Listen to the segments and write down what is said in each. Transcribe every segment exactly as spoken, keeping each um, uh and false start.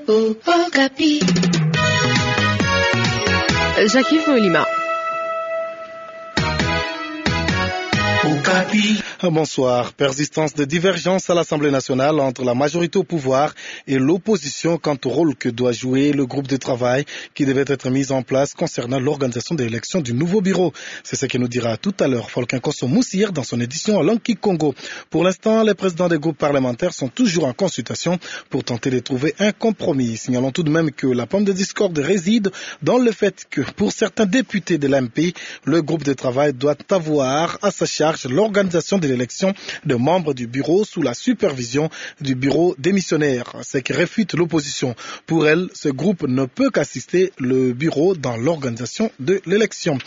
Okapi. Jacques-Yves Molima. Okapi. Bonsoir. Persistance de divergences à l'Assemblée nationale entre la majorité au pouvoir et l'opposition quant au rôle que doit jouer le groupe de travail qui devait être mis en place concernant l'organisation de l'élection du nouveau bureau. C'est ce que nous dira tout à l'heure Folkin Kosso Moussir dans son édition en langue kikongo. Pour l'instant, les présidents des groupes parlementaires sont toujours en consultation pour tenter de trouver un compromis. Signalons tout de même que la pomme de discorde réside dans le fait que, pour certains députés de l'A M P, le groupe de travail doit avoir à sa charge l'organisation de l'élection de membres du bureau sous la supervision du bureau démissionnaire, ce que réfute l'opposition. Pour elle, ce groupe ne peut qu'assister le bureau dans l'organisation de l'élection.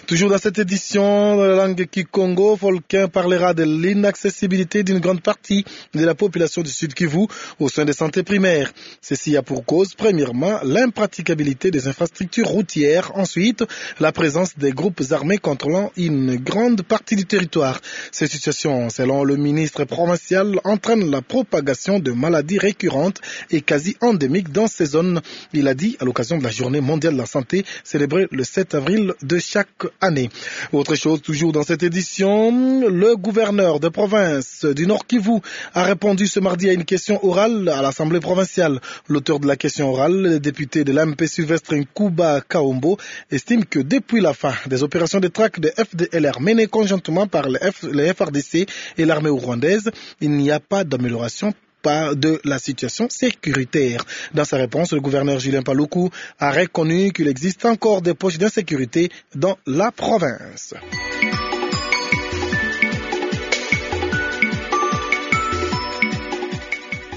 Toujours dans cette édition, dans la langue kikongo, Folkin parlera de l'inaccessibilité d'une grande partie de la population du Sud-Kivu aux soins de santé primaires. Ceci a pour cause, premièrement, l'impraticabilité des infrastructures routières. Ensuite, la présence des groupes armés contrôlant une grande partie du territoire. Cette situation, selon le ministre provincial, entraîne la propagation de maladies récurrentes et quasi endémiques dans ces zones. Il a dit à l'occasion de la journée mondiale de la santé célébrée le sept avril de chaque année. Autre chose, toujours dans cette édition, le gouverneur de province du Nord-Kivu a répondu ce mardi à une question orale à l'Assemblée provinciale. L'auteur de la question orale, le député de l'A M P Sylvestre Nkuba Kaombo, estime que depuis la fin des opérations de traque de F D L R menées conjointement par les F-, les F R D C et l'armée rwandaise, il n'y a pas d'amélioration par, de la situation sécuritaire. Dans sa réponse, le gouverneur Julien Paluku a reconnu qu'il existe encore des poches d'insécurité dans la province.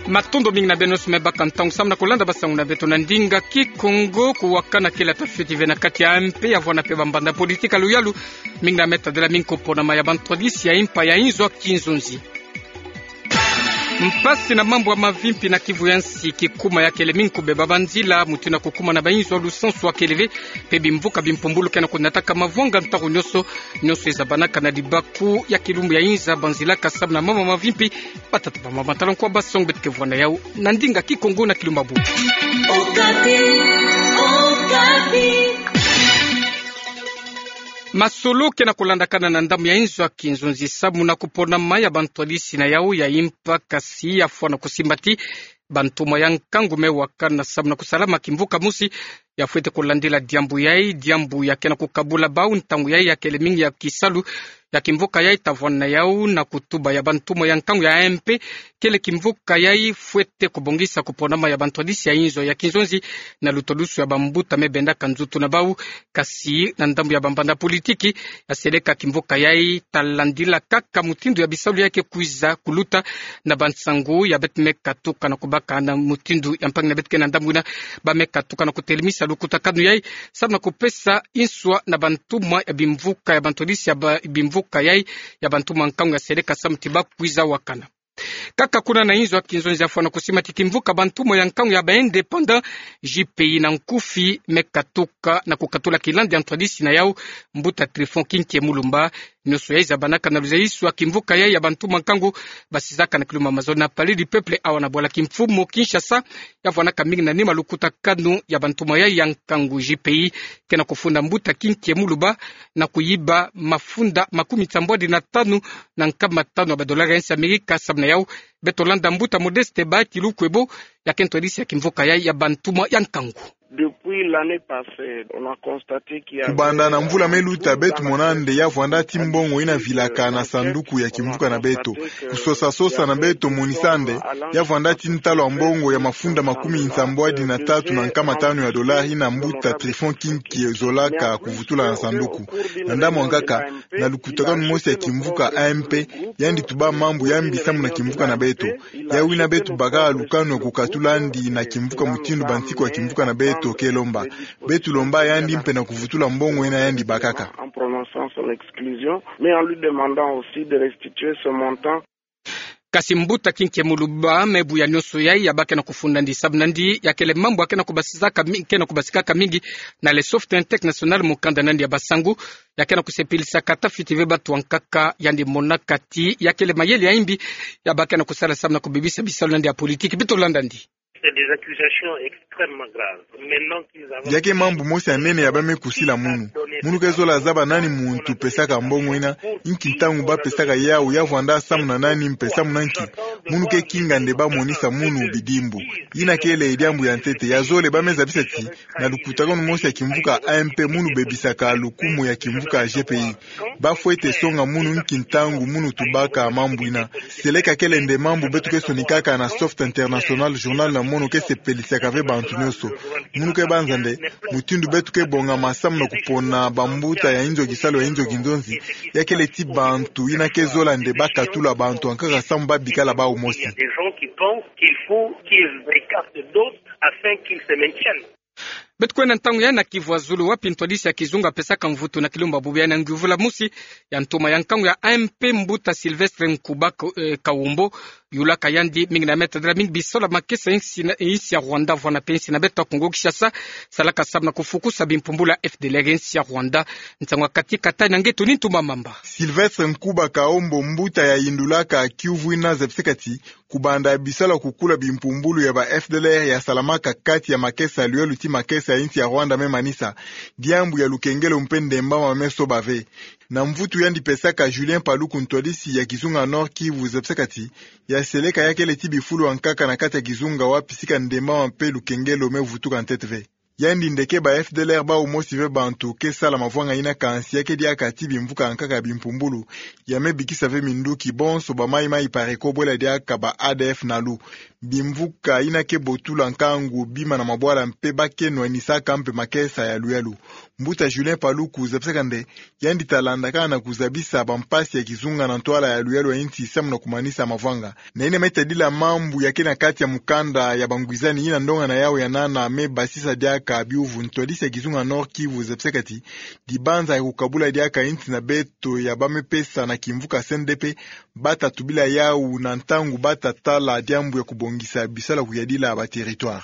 Matondo mingi na beno nyonso me baka ntangu samu na kolanda basangu na beto na ndinga kikongo. Kuwakana kele tafiti ve na kati ya A M P, ya vwanda pe bambanda politika luyalu mingi na meta dela mingi ku ponama ya bantwadisi ya impa ya inzo ya kinzonzi. Mpasi na mambu ya mavimpi na Kivu ya nsi, kikuma ya kele mingi kubeba banzila, mutindu ya kukuma na bainzo ya lusansu ya kele ve, pe bimvuka bimpumbulu ke na kunataka mavwanga ntaku nyonso, nyonso ezabanaka na libaku ya kilumbu ya inza banzila ka samu na mambu ya mavimpi. Batata, bamama, tala nkwa basangu beto ke vwanda yau na ndinga kikongo na kilumbu bu. Okapi, Okapi. Masolo ke na kulandakana na ndambu ya inzo ya kinzonzi samu na kuponama ya bantwadisi na yau ya impa, kasi ya fwana kusimbati bantumwa ya nkangu me wakana samu na kusalama kimvuka mosi ya fwete kulandila diambu yai, diambu ya ke na kukabula bau ntangu yai ya kele mingi ya kisalu ya kimvuka yai ta vwanda na yau na kutuba ya bantumwa ya nkangu ya A M P. Kele kimvuka yai fwete kubongisa kuponama ya bantwadisi ya inzo ya kinzonzi na lutwadusu ya bambuta me bendaka nzutu na bau. Kasi na ndambu ya bambanda politiki, ya seleka kimvuka yai ta landila kaka mutindu ya bisalu yai ke kwiza kuluta. Na bansangu ya beto me katuka na kubaka na mutindu ya mpangi na beto ke na ndambu ina, ba me katuka na kutelemisa lukutakanu yai samu na kupesa inswa na bantumwa ya bimvuka ya bantwadisi ya ba-, bimvuka yai ya bantumwa nkangu ya seleka samu ti ba kwiza wakana. Kaka kuna na inzo ya kinzonzi, ya fwana kusimbati kimvuka bantumwa ya nkangu ya ba indépendants, J P I na nkufi, me katuka na kukatula kilandi ya ntwadisi na yau, mbuta Tryphon Kinkie Mulumba. Nyonso yai zabanaka na luzayisu ya kimvuka yai ya bantumwa nkangu basizaka na kilumbu ya mazono na Palais du Peuple awa na bwala kimfumu Kinshasa. Ya vwanaka mingi na nima lukutakanu ya bantumwa yai ya nkangu. J P I ke na kufunda mbuta Kinkie Mulumba na kuyiba mafunda makumi nsambwadi na tanu na nkama tanu ya badolari ya nsi Amerika samu na yau. Beto landa mbuta Modeste Bahati Lukwebo, ya ke ntwadisi ya kimvuka yai ya bantumwa ya nkangu. Depuis l'année passée, on a constaté qu'il y avait... Kubanda na mvula me luta, beto mona nde ya vwanda ti mbongo ina vilaka na sanduku ya kimvuka na beto. Kusosa-sosa na beto monisa nde ya vwanda ti ntalu ya mbongo ya mafunda makumi nsambwadi na tatu na nkama tanu ya dolari ina mbuta Tryphon Kinkie zolaka kuvutula na sanduku. Na ndambu ya nkaka, na lukutakanu mosi ya kimvuka A M P, yandi tuba mambu ya mbi samu na kimvuka na beto. Yawina beto baka lukanu ya kukatula yandi na kimvuka mutindu bansiku ya kimvuka na beto ke lomba. Beto lomba yandi mpe na kuvutula mbongo ina yandi bakaka. En prononçant son exclusion, mais en lui demandant aussi de restituer ce montant. Kasi mbuta Kinkie Mulumba me buya nyonso yai ya ba ke na kufunda yandi samu na yandi, ya kele mambu ya ke na kubasizaka mi-, ke na kubasikaka mingi na le Soft International, mukanda na yandi ya basangu. Ya ke na kusepilisaka tafiti ve bato ya nkaka, yandi monaka ti ya kele mayele ya imbi ya ba ke na kusala samu na kubebisa bisalu na yandi ya politiki. Beto landa yandi. C'est des accusations extrêmement graves. Maintenant qu'ils avancent... Ya ke mambu mosi ya nene ya ba me kusila munu. Munu ke zola zaba nani muntu pesaka mbongo ina, nki ntangu ba pesaka yawu, ya vwanda samu na nani, mpe samu na nki. Munu ke kinga nde ba monisa munu bidimbu. Ina kele diambu ya ntete. Ya zole ba me zabisa ti, na lukutakanu mosi ya kimvuka A M P, munu bebisaka lukumu ya kimvuka G P I. Ba fwete songa munu nki ntangu munu tubaka mambu ina. Seleka kele nde mambu beto ke sonikaka na Soft International Journal na mono ke sepelisaka ve bantu nyonso. Munu ke banza nde mutindu beto ke bongama samu na kupona bambuta ya inzo kisalu ya inzo kinzonzi, ya kele ti bantu ina ke zola nde ba katula bantu ankaka samu ba bikala bawu mosi. Il y a des gens qui pensent qu'il faut qu'ils écartent d'autres afin qu'ils se maintiennent. Beto kwenda ntangu ya na Kivu ya zulu, wapi ntwadisi ya kizunga apesaka mvutu na kilumbu bubu ya na nguvula musi ya ntoma ya nkangu ya A M P, mbuta Sylvestre Nkuba Ka-, eh, Kawombo, yulaka yandi mingi na meta dela mingi bisola makesa insi na, insi ya Rwanda, vwanda mpe insi na beto ya Kongo Kinshasa, salaka samu na kufukusa bimpumbulu ya F D L R insi ya Rwanda. Nsangu ya kati kata na ngeto ni Ntumba Mamba. Sylvestre Nkuba Kawombo, mbuta ya yindulaka Kivu, ina zabisaka ti, kubanda bisalu ya kukula bimpumbulu ya ba F D L R ya salamaka kati ya makesa ya luyalu ti makesa ya insi ya Rwanda me manisa, diambu ya lukengelo mpe ndembama me soba ve. Na mvutu yandi pesaka Julien Paluku, ntwadisi ya kizunga Nord-Kivu, zabisaka ti, ya seleka ya kele ti bifulu ankaka na kati ya kizunga wapi sika ndembama mpe lukengelo me vutuka ntete ve. Yandi nde ke ba F D L R bawu mosi ve bantu ke sala mavwanga ina, kansi ya ke diaka ti bimvuka ankaka ya bimpumbulu ya me bikisa ve minduki bonso ba Mai Mai Pareko bwela diaka ba A D F Nalu. Bimvuka ina ke botula nkangu bima na mabwala mpe ba ke nwanisaka mpe makesa ya luyalu. Mbuta Julien Paluku zabisaka nde yandi ta landaka na kuzabisa bampasi ya kizunga na ntwala ya luyalu ya insi samu na kumanisa mavwanga. Na ina me tadila mambu ya ke na kati ya mukanda ya bangwizani ina ndonga na yawu ya nana me basisa diaka biuvu, ntwadisi ya kizunga Nord-Kivu zabisaka ti, dibanza ya kukabula diaka insi na beto ya ba me pesa na kimvuka C N D P, ba ta tubila yawu na ntangu ba ta tala diambu ya kubongisa bisalu ya kuyadila ba territoire.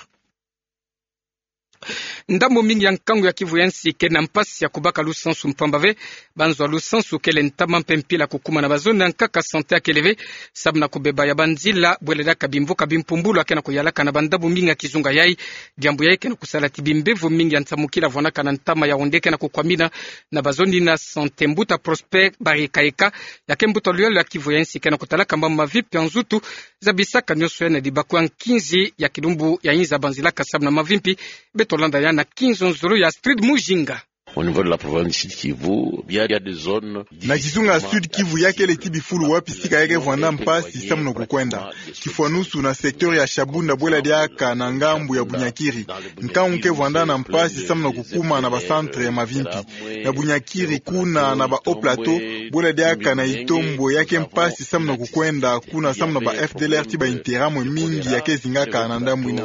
Ndambu mingi ya nkangu ya Kivu ya nsi ke na mpasi ya kubaka lusansu mpamba ve. Banzo ya lusansu kele ntama mpe mpila kukumana, bazono ankaka santé ya kele ve, samu na kubeba ya banzila bwela diaka bimvuka bimpumbulu ya ke na kuyalaka na bandambu mingi ya kizunga yai. Diambu yai ke na kusala ti bimbevo mingi ya nsamukila vwanaka na ntama ya onde ke na kukwamina na bazono ina santé. Mbuta Prosper Barikaeka, ya ke mbuta luyalu ya Kivu ya nsi, ke na kutalaka mambu mavipi ya nzutu zabisaka nyonso ya na dibako ya nkinzi ya kilumbu ya inza banzilaka samu na mavimpi. Beto landa ya na kinzonzolo ya Astrid Mujinga. Au niveau de la province du Sud-Kivu, il y a, il y a des zones... Na kizunga Sud-Kivu ya kele ti bifulu wapi sika ya ke vwanda mpasi samu na kukwenda. Kifwanusu na secteur ya Shabunda bwela diaka na ngambu ya Bunyakiri, nkangu ke vwanda na mpasi samu na kukuma na ba centre ya mavimpi. Na Bunyakiri kuna na ba Haut-Plateau, bwela diaka na Itombwe ya ke mpasi samu na kukwenda kuna samu na ba F D L R ti ba Interahamwe mingi ya ke zingaka na ndambu ina.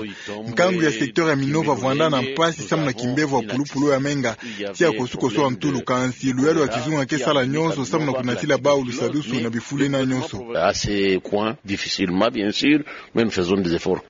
Nkangu ya secteur ya Minova vwanda na mpasi samu na kimbevo ya pulupulu ya menga, ti ya kosukosu ya ntulu, kansi luyalu ya kizunga ke sala nyonso samu na kunatila bawu lusadusu na bifulu ina nyonso. À ces coins, difficilement, bien sûr, mais nous faisons des efforts.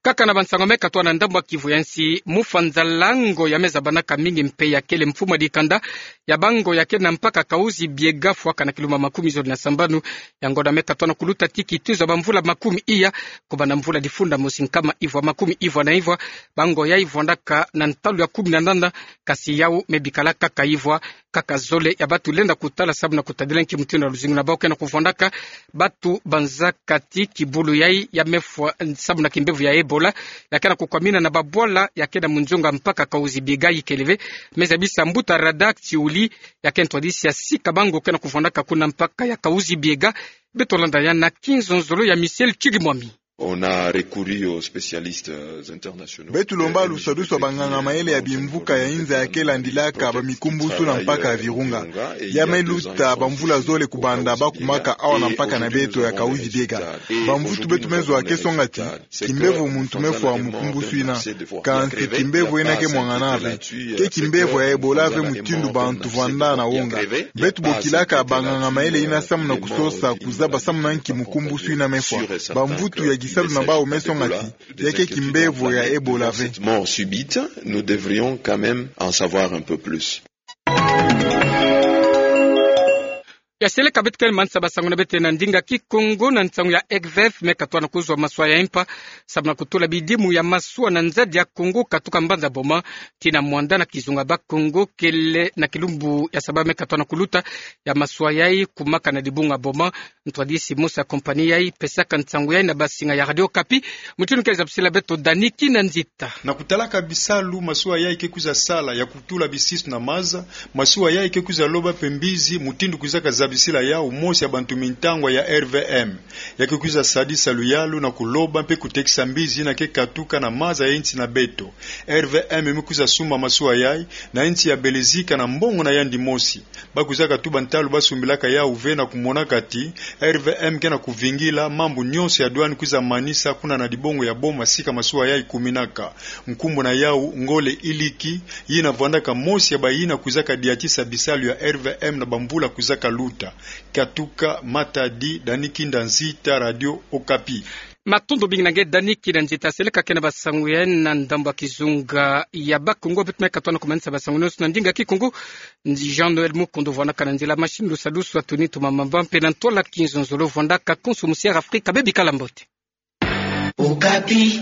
Kaka na bansango me katwa na ndambu ya Kivu ya nsi, mufanza lango ya me zabanaka mingi mpe ya kele mfumu ya dikanda ya bango ya ke na mpaka Kahuzi-Biega, fwaka na kilumbu makumi zole na sambanu. Yango na me katwa na kuluta ti kituza bamvula makumi iya, kubanda mvula difunda mosi nkama ivwa makumi ivwa na ivwa, bango yai vwandaka na ntalu ya kumi na nana, kasi yawu me bikala kaka ivwa. Kaka zole ya batu lenda kutala samu na kutadila nki mutindu ya luzingu na bawu ke na kuvwandaka. Batu banzaka ti kibulu yai ya me fwa samu na kimbevo ya Ebola, ya ke na kukwamina na babwala ya ke na munzonga mpaka Kahuzi-Biega ikele ve. Me zabisa mbuta Radak Tiuli, ya ke ntwadisi ya sika bango ke na kuvwandaka kuna mpaka ya Kahuzi-Biega. Beto landa ya na kinzonzolo ya Michel Chirimwami. On a recouru aux spécialistes, euh, internationaux. Beto lomba lusadusu ya banganga mayele ya bimvuka ya inza ya ke landilaka bamikumbusu na mpaka ya Virunga. Ya me luta bamvula zole kubanda ba kumaka awa na mpaka na beto ya Kahuzi-Biega. Bamvutu beto me zwa ke songa ti, kimbevo muntu me fwa mukumbusu ina. Kansi kimbevo ina ke mwangana ve. Ke kimbevo ya Ebola ve mutindu bantu vwanda na wonga. Beto bokilaka banganga mayele ina samu na kusosa kuzaba samu na nki mukumbusu ina me fwa. Bamvutu ya kisalu na bawu me songa ti, ya ke kimbevo ya Ebola ve. Cette mort subite, nous devrions quand même en savoir un peu plus. Ya seleka beto kele manisa basango na beto na ndinga Kikongo na nsangu ya R V F me katwana kuzwa masuwa ya impa, sababu na kutula bidimu ya masuwa na nzadi ya Kongo katuka mbanza Boma tii na mwanda na kizunga Bas-Congo kele na kilumbu ya saba me katwana kuluta. Ya masuwa yayi kumaka na dibunga Boma. Ntwadisi mosi ya compagnie yayi pesaka nsangu yayi na basinga ya Radio Okapi. Mutindu ke zabisila beto Dani Kinanzita. Na kutalaka bisalu masuwa yayi ke kwiza sala ya kutula bisisu na maza, masuwa yayi ke kwiza loba mpe mbizi mutindu kwizaka zabisila yawu mosi ya bantu mintangwa ya R V M. Ya ke kwiza sadisa luyalu na kuloba mpe kutekisa mbizi yina ke katuka na maza ya insi na beto. R V M me kwiza sumba masuwa yayi na insi ya Belezika na mbongo na yandi mosi. Ba kwizaka tuba ntalu ba sumbilaka yawu ve na kumonaka ti R V M ke na kuvingila mambu nyonso ya douane kwiza manisa kuna na dibunga ya Boma sika masuwa yayi kuminaka. Nkumbu na yawu Ngole Iliki, yina vwandaka mosi ya bayina kwizaka diatisa bisalu ya R V M na bamvula kwizaka luta. Katuka Matadi, Dani Kinanzita, Radio Okapi. Matondo mingi na nge Dani Kinanzita. Seleka kena basangu yayi na ndambu ya kizunga ya Bas-Congo, beto me katwana kumanisa basangu nyonso na ndinga Kikongo. Ndi Jean-Noël Mukundu vwandaka na nzila machine, lusalusu Anthony Tumamamba mpe na ntwala kinzonzolo vwandaka konso musi ya Afrika. Bebikala mbote. Okapi.